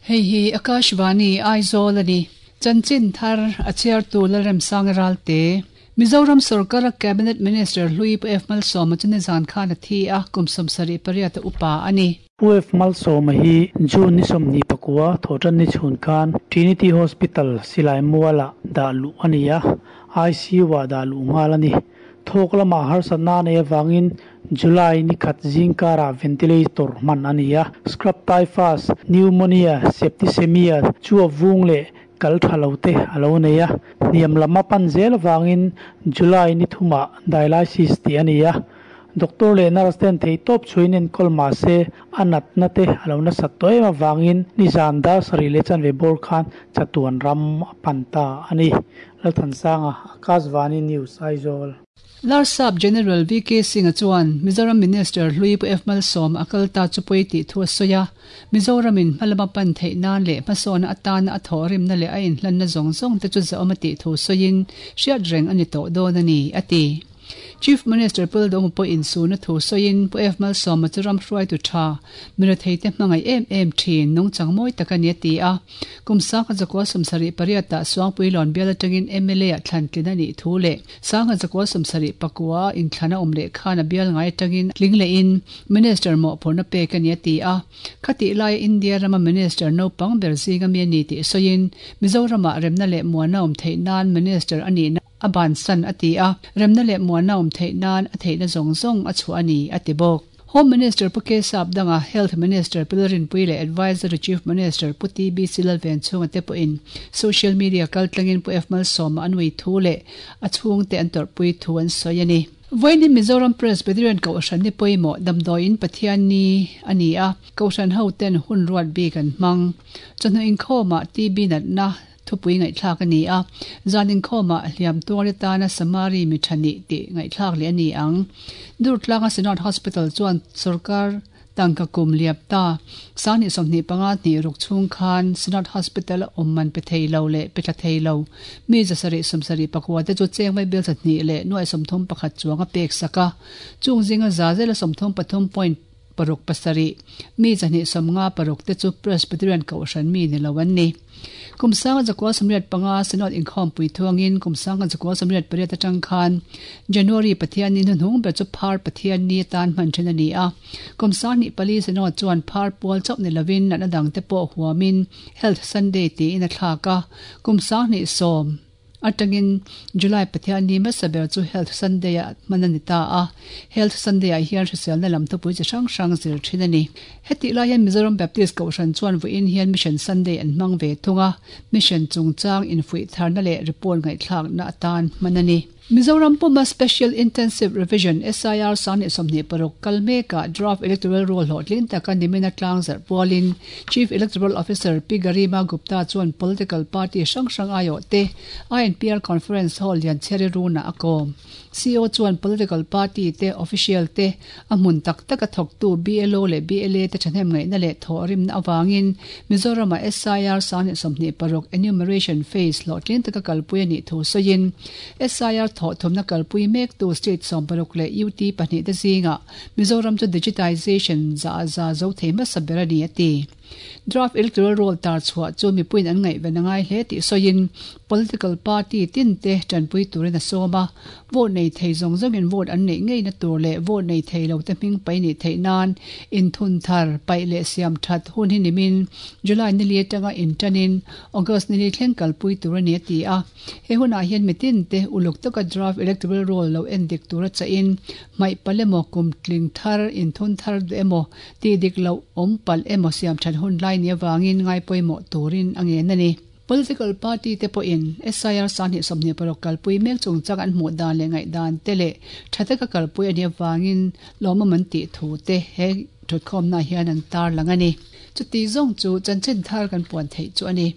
Hei hi Akashvani Aizawl a ni. Chanchin thar a chhiartu Lalremsanga Ralte. Mizoram sorkara Cabinet Minister hlui Pu F Malsawma chu nizan khan a thi a, kum 78 a upa a ni. Pu F Malsawma hi June ni 29 thawhtan ni chhun khan Trinity Hospital Silai Mualah dah luh a ni a, ICU-ah dah luh nghal a ni. Thawk lamah harsatna a neih avangin July ni khat zing karah ventilator hman a ni a, scrub typhus, pneumonia, septicemia chu a vung leh kal tha lo te a lo nei a, hniam lam a pan zel avangin July ni thumah dialysis tih a ni a. Doctor leh nurse ten theihtawp chhuiin enkawl mah se a natna te a lo nasat tawh em avangin nizan dar sarih leh chanve bawr khan chatuan ram a pan ta a ni. Lalthansanga, Akashvani News, Aizawl. Larsap General VK Singh-a chuan Mizoram Minister hlui Pu F Malsawma a kal ta chu pawi tih thu a sawi a, Mizoramin hmalama pan theih nan leh hmasawnna atana a thawhrimna leh a inhlanna zawng zawng te chu zahawm a tih thu sawiin hriat reng a ni tawh dawn a ni, a ti. Chief Minister Pu Lalduhawma pawh insuna thu sawiin Pu F Malsawma chu ram hruaitu tha, mi retheite hmangaih em em thin, nungchang mawi tak a ni a ti a. Kum sangha zakua 78 ah Suangpuilawn bial atangin mla ah thlan tlin a nih thu leh sangha zakua 74 a inthlan a awm leh khan a bial ngai atangin tling lehin Minister mawhphurhna pek a ni a ti a. Khatih laia India rama Minister naupang ber zinga mi a ni tih sawiin Mizoramah remna leh muana awm theih nan Minister a nihna A bansan a ti a, remna leh muanna awm theih nan a theihna zawng zawng a chhuah a ni, a ti bawk. Home Minister Pu K Sapdanga, Health Minister Pu Lalrinpuii leh Adviser to Chief Minister Pu TBC Lalvenchhunga te pawhin social media kaltlangin Pu F Malsawma an ui thu leh a chhungte an tawrhpui thu an sawi a ni. Vawiin Mizoram Presbyterian Kohhran ni pawimawh damdawiin Pathian ni a ni a, Kohhran hoten hun ruat bik an hmang. Chawhnu inkhawmah TB natna Thupui ngaihthlak a ni a, zan inkhawmah hliam tuar atana Samari mi tha nih tih ngaihthlak leh a ni ang. Durtlanga Synod Hospital chuan sorkar tangka kum liap ta sanghnih 25 hnih ruk chhung khan Synod Hospital a awm man pe thei lo leh pe tla thei lo mi 774 te chu cheng vai bial 2 leh nuai 31 chuang a pek sak a, chung zinga za zela 33 point Paruk pasarih, mi 250 paruk te chu Presbyterian Kohhran mi ni lo an ni. Kum sanga zakua 85 Synod inkhawmpui thuangin kum sanga zakua 88 atang khan January Pathianni hnuhnung ber chu Phar Pathianni atan hman then a ni a. Kum 24 Synod chuan Phar pual chauh ni lovin natna dangte pawh huamin Health Sunday tiin a thlak a. Kum 2010 Atangin July Pathianni hmasa ber chu Health Sunday ah hman a ni ta a, Health Sunday ah hian hriselna lam thupui chi hrang hrang zir thin a ni. Hetih lai hian Mizoram Baptist Kohhran chuan vawiin hian Mission Sunday an hmang ve thung a, Mission chungchang infuih tharna leh report ngaihthlakna atan hman a ni. Mizoram puma Special Intensive Revision, SIR, 2026 kal mekah Draft Electoral Roll hlawhtling taka nimina tlangzarh pualin Chief Electoral Officer Pi Garima Gupta chuan political party hrang hrang aiawh te INPR Conference Hall Lianchhiari runah a kawm. CO chuan political party te official te a hmun tak taka thawktu BLO leh BLA te thahnem ngaihna leh thawhrimna avangin Mizoram-ah SIR 2026 enumeration phase hlawhtling taka kalpui a nih thu sawiin SIR thawhthumna kalpui mektu state 60 leh UT pahnih te zingah Mizoram chu digitization za za zo thei hmasa ber a ni a ti. Draft Electoral Roll tar chhuah chu mipuiin an ngaihven a ngai hle tih sawiin political party tin te tanpui turin a sawm a, vote nei thei zawng zawngin vote an neih ngeina tur leh vote nei thei lo te hming pai nih theih nan inthun thar, paih leh siam that hun hi nimin July nili atanga intanin August nili thleng kalpui tur a ni a ti a. He hunah hian mitin te uluk taka draft electoral roll lo en dik tura chahin hmaih palh emaw, kum tling thar, inthun thar duh emaw, tih dik loh awm palh emaw siam that hun lai ni avangin ngai pawimawh turin a ngen a ni. Political party te pawhin SIR 2026 kalpui mek chungchang an hmuh dan leh ngaihdan te leh tha taka kalpui a nih avangin lawmawm an tih thu te he thutkhawmna hian an tarlang a ni. Chuti zawng chu chanchin thar kan puan theih chu a ni.